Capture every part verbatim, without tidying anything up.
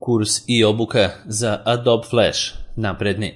Kurs i obuka za Adobe Flash napredni.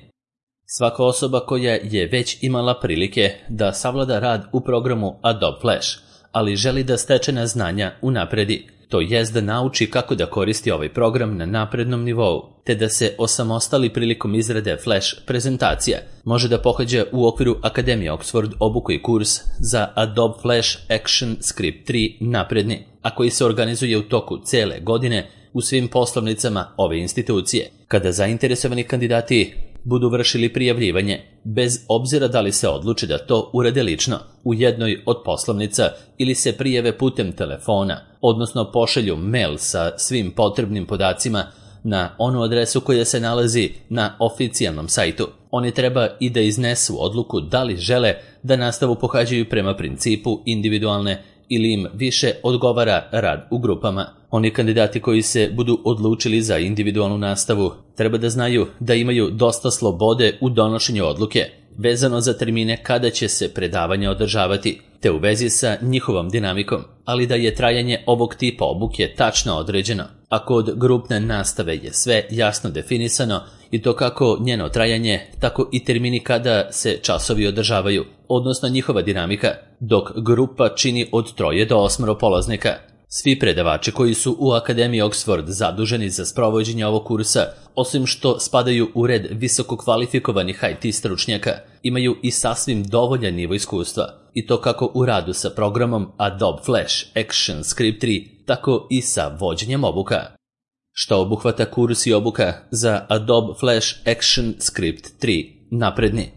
Svaka osoba koja je već imala prilike da savlada rad u programu Adobe Flash, ali želi da stečena znanja unapredi, to jest da nauči kako da koristi ovaj program na naprednom nivou, te da se osamostali prilikom izrade Flash prezentacija, može da pohađa u okviru Akademije Oxford obuku i kurs za Adobe Flash Action Script tri napredni, a koji se organizuje u toku cele godine u svim poslovnicama ove institucije. Kada zainteresovani kandidati budu vršili prijavljivanje, bez obzira da li se odluče da to urade lično u jednoj od poslovnica ili se prijave putem telefona, odnosno pošalju mail sa svim potrebnim podacima na onu adresu koja se nalazi na oficijalnom sajtu. Oni treba i da iznesu odluku da li žele da nastavu pohađaju prema principu individualne ili im više odgovara rad u grupama. Oni kandidati koji se budu odlučili za individualnu nastavu treba da znaju da imaju dosta slobode u donošenju odluke vezano za termine kada će se predavanja održavati, te u vezi sa njihovom dinamikom, ali da je trajanje ovog tipa obuke tačno određeno, a kod grupne nastave je sve jasno definisano i to kako njeno trajanje, tako i termini kada se časovi održavaju, odnosno njihova dinamika, dok grupa čini od troje do osmoro polaznika. Svi predavači koji su u Akademiji Oxford zaduženi za sprovođenje ovog kursa, osim što spadaju u red visoko kvalifikovanih I T stručnjaka, imaju i sasvim dovoljan nivo iskustva, i to kako u radu sa programom Adobe Flash Action Script tri, tako i sa vođenjem obuka. Šta obuhvata kurs i obuka za Adobe Flash Action Script tri napredni?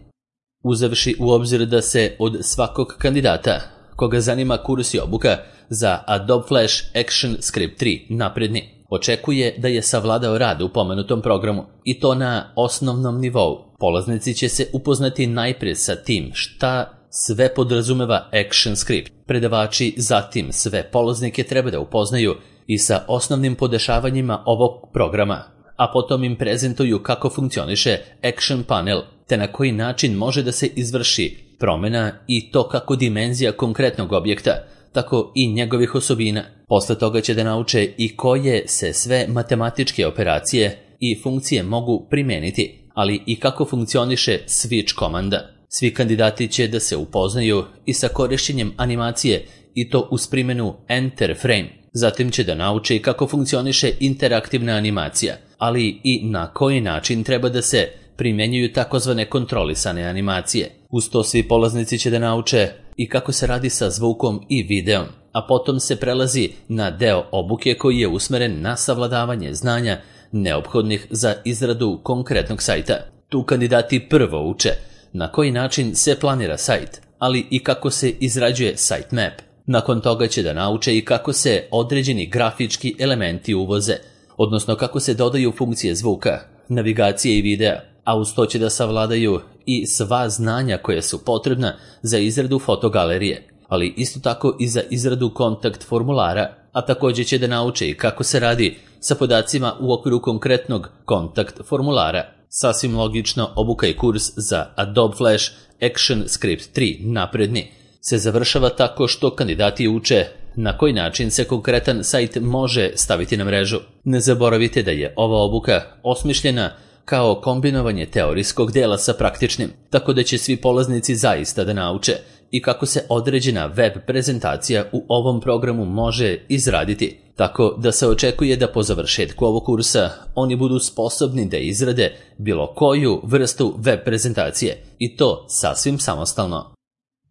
Uzevši u obzir da se od svakog kandidata koga zanima kurs i obuka za Adobe Flash Action Script tri napredni, očekuje da je savladao rad u pomenutom programu, i to na osnovnom nivou. Polaznici će se upoznati najprije sa tim šta sve podrazumeva Action Script. Predavači zatim sve polaznike treba da upoznaju i sa osnovnim podešavanjima ovog programa, a potom im prezentuju kako funkcioniše Action Panel, te na koji način može da se izvrši promena i to kako dimenzija konkretnog objekta, tako i njegovih osobina. Posle toga će da nauče i koje se sve matematičke operacije i funkcije mogu primeniti, ali i kako funkcioniše switch komanda. Svi kandidati će da se upoznaju i sa korišćenjem animacije, i to uz primjenu Enter Frame. Zatim će da nauče kako funkcioniše interaktivna animacija, ali i na koji način treba da se primjenjuju takozvane kontrolisane animacije. Uz to svi polaznici će da nauče i kako se radi sa zvukom i videom, a potom se prelazi na deo obuke koji je usmeren na savladavanje znanja neophodnih za izradu konkretnog sajta. Tu kandidati prvo uče na koji način se planira sajt, ali i kako se izrađuje sitemap. Nakon toga će da nauče i kako se određeni grafički elementi uvoze, odnosno kako se dodaju funkcije zvuka, navigacije i videa, a uz to će da savladaju i sva znanja koja su potrebna za izradu fotogalerije, ali isto tako i za izradu kontakt formulara, a također će da nauče i kako se radi sa podacima u okviru konkretnog kontakt formulara. Sasvim logično, obuka i kurs za Adobe Flash Action Script tri napredni se završava tako što kandidati uče na koji način se konkretan sajt može staviti na mrežu. Ne zaboravite da je ova obuka osmišljena kao kombinovanje teorijskog dela sa praktičnim, tako da će svi polaznici zaista da nauče i kako se određena web prezentacija u ovom programu može izraditi, tako da se očekuje da po završetku ovog kursa oni budu sposobni da izrade bilo koju vrstu web prezentacije, i to sasvim samostalno.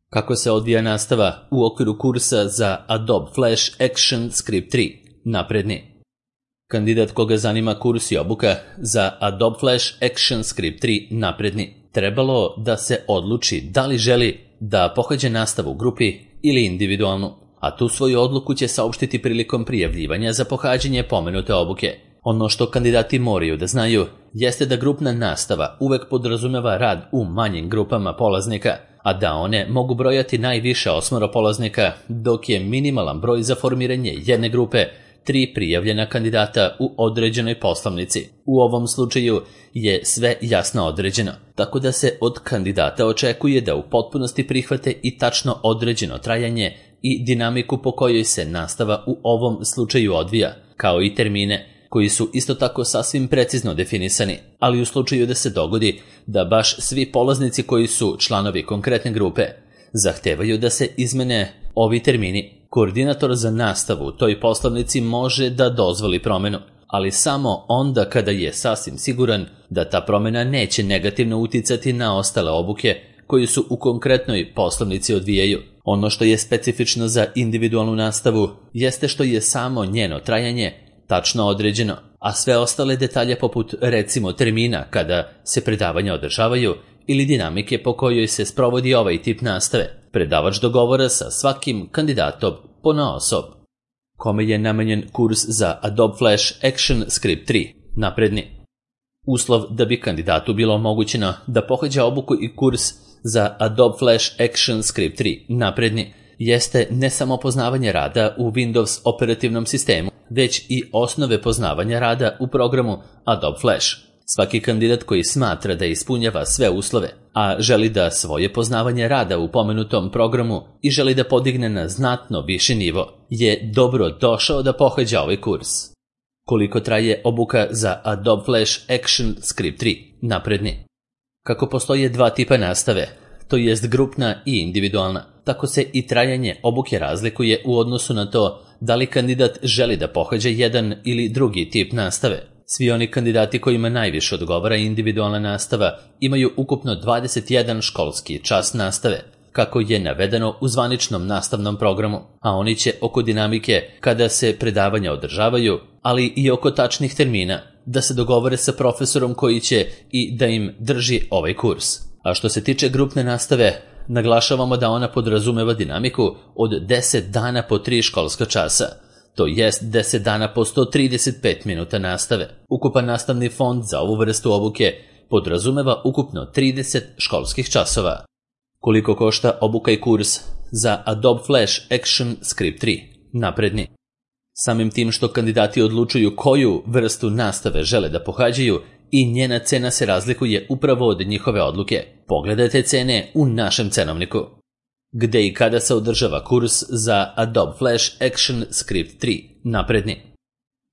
Kako se odvija nastava u okviru kursa za Adobe Flash Action Script tri napredni? Kandidat koga zanima kurs i obuka za Adobe Flash Action Script tri napredni trebalo da se odluči da li želi da pohađa nastavu u grupi ili individualnu, a tu svoju odluku će saopštiti prilikom prijavljivanja za pohađanje pomenute obuke. Ono što kandidati moraju da znaju jeste da grupna nastava uvek podrazumeva rad u manjim grupama polaznika, a da one mogu brojati najviše osmoro polaznika, dok je minimalan broj za formiranje jedne grupe tri prijavljena kandidata u određenoj poslovnici. U ovom slučaju je sve jasno određeno, tako da se od kandidata očekuje da u potpunosti prihvate i tačno određeno trajanje i dinamiku po kojoj se nastava u ovom slučaju odvija, kao i termine koji su isto tako sasvim precizno definisani, ali u slučaju da se dogodi da baš svi polaznici koji su članovi konkretne grupe zahtevaju da se izmene ovi termini, koordinator za nastavu u toj poslovnici može da dozvoli promenu, ali samo onda kada je sasvim siguran da ta promena neće negativno uticati na ostale obuke koji su u konkretnoj poslovnici odvijaju. Ono što je specifično za individualnu nastavu jeste što je samo njeno trajanje tačno određeno, a sve ostale detalje poput recimo termina kada se predavanja održavaju ili dinamike po kojoj se sprovodi ovaj tip nastave, predavač dogovara sa svakim kandidatom ponaosob. Kome je namenjen kurs za Adobe Flash Action Script tri, napredni? Uslov da bi kandidatu bilo omogućeno da pohađa obuku i kurs za Adobe Flash Action Script tri, napredni, jeste ne samo poznavanje rada u Windows operativnom sistemu, već i osnove poznavanja rada u programu Adobe Flash. Svaki kandidat koji smatra da ispunjava sve uslove, a želi da svoje poznavanje rada u pomenutom programu i želi da podigne na znatno viši nivo, je dobro došao da pohađa ovaj kurs. Koliko traje obuka za Adobe Flash Action Script tri, napredni? Kako postoje dva tipa nastave, to jest grupna i individualna, tako se i trajanje obuke razlikuje u odnosu na to da li kandidat želi da pohađa jedan ili drugi tip nastave. Svi oni kandidati kojima najviše odgovara individualna nastava imaju ukupno dvadeset jedan školski čas nastave, kako je navedeno u zvaničnom nastavnom programu, a oni će oko dinamike kada se predavanja održavaju, ali i oko tačnih termina, da se dogovore sa profesorom koji će i da im drži ovaj kurs. A što se tiče grupne nastave, naglašavamo da ona podrazumeva dinamiku od deset dana po tri školska časa, to jest deset dana po sto trideset pet minuta nastave. Ukupan nastavni fond za ovu vrstu obuke podrazumeva ukupno trideset školskih časova. Koliko košta obuka i kurs za Adobe Flash Action Script tri, napredni? Samim tim što kandidati odlučuju koju vrstu nastave žele da pohađaju i njena cena se razlikuje upravo od njihove odluke. Pogledajte cene u našem cenovniku. Gde i kada se održava kurs za Adobe Flash Action Script tri, napredni?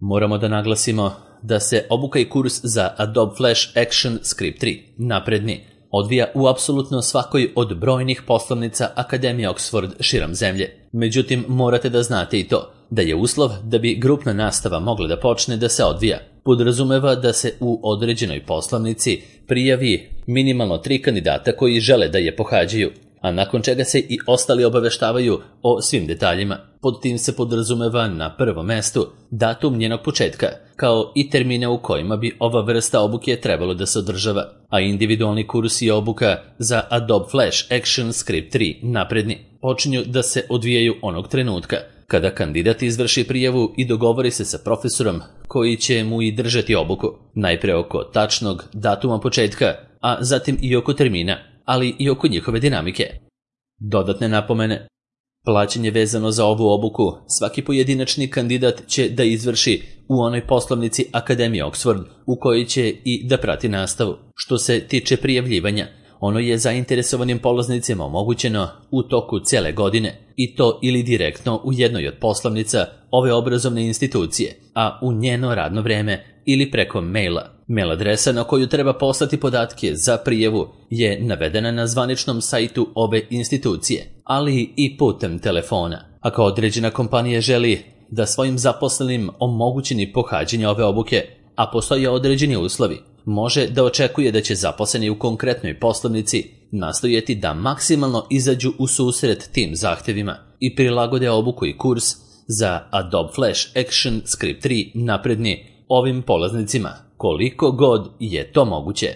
Moramo da naglasimo da se obuka i kurs za Adobe Flash Action Script tri, napredni, odvija u apsolutno svakoj od brojnih poslovnica Akademije Oxford širom zemlje. Međutim, morate da znate i to, da je uslov da bi grupna nastava mogla da počne da se odvija, podrazumeva da se u određenoj poslovnici prijavi minimalno tri kandidata koji žele da je pohađaju, a nakon čega se i ostali obaveštavaju o svim detaljima. Pod tim se podrazumeva na prvom mestu datum njenog početka, kao i termine u kojima bi ova vrsta obuke trebalo da se održava, a individualni kurs i obuka za Adobe Flash Action Script tri, napredni, počinju da se odvijaju onog trenutka kada kandidat izvrši prijavu i dogovori se sa profesorom koji će mu i držati obuku, najpre oko tačnog datuma početka, a zatim i oko termina, ali i oko njihove dinamike. Dodatne napomene. Plaćanje vezano za ovu obuku svaki pojedinačni kandidat će da izvrši u onoj poslovnici Akademije Oxford u kojoj će i da prati nastavu. Što se tiče prijavljivanja, ono je zainteresovanim polaznicima omogućeno u toku cele godine, i to ili direktno u jednoj od poslovnica ove obrazovne institucije, a u njeno radno vreme ili preko maila. Mail adresa na koju treba poslati podatke za prijavu je navedena na zvaničnom sajtu ove institucije, ali i putem telefona. Ako određena kompanija želi da svojim zaposlenim omogućeni pohađanje ove obuke, a postoje određeni uslovi, može da očekuje da će zaposleni u konkretnoj poslovnici nastojati da maksimalno izađu u susret tim zahtevima i prilagode obuku i kurs za Adobe Flash Action Script tri, napredni, ovim polaznicima, koliko god je to moguće.